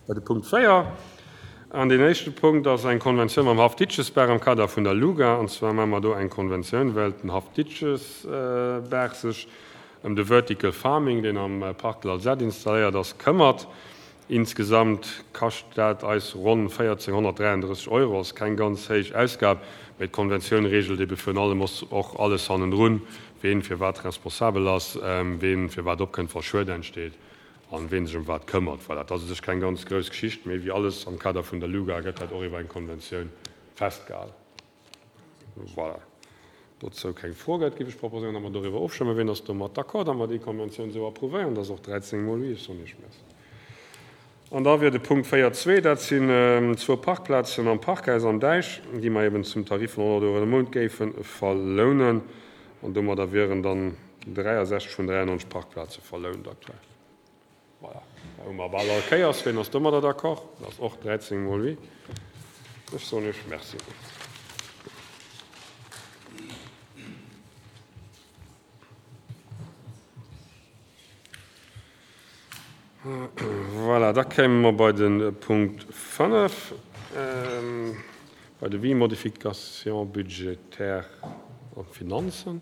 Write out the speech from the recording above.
Bei de Punkt 4. An deen éischte Punkt ass eng Konventioun mam Haff Ditschesbaach am Kader vun der LUGA. An zwar maache mer do eng Konventioun, well den Haff Ditschesbaach sech ëm de Vertical Farming, deen am Parc de l'Alzette installéiert ass, këmmert. Insgesamt kascht dat eis ronn 1.433 Euro. Ass keng ganz héich Ausgab, mee d'Konventioun reegelt ebe virun allem och alles hannendrun, ween fir wat responsabel ass, ween fir wat opkënnt, wa Schued entsteet. An ween sech ëm wat këmmert. Voilà, dat ass u sech keng ganz grouss Geschicht, mee wéi alles am Kader vun der LUGA gëtt dat och iwwer eng Konventioun festgehalen. Voilà. Dozou keng Fro gëtt, géif ech proposéieren, datt mer doriwwer ofstëmmen. Ween ass domat d'accord, datt mer déi Konventioun esou approuvéieren? Dat ass och 13 mol oui. Ech soen Iech Merci. An da wier de Punkt 4.2, dat sinn zwou Parkplazen am Parkhaus am Däich, déi mer eben zum Tarif vun 100 Euro de Mount géife verlounen. An domadder wieren dann 63 vun 93 Parkplaze verlount aktuell. Voilà, da hu mer bal all Kéiers. Ween ass domadder d'accord? Dat ass och 13 mol oui. Ech soen Iech Merci. Voilà, da kéime mer bei de Punkt 5, bei de Devis modification budgétaire an d'Finanzen.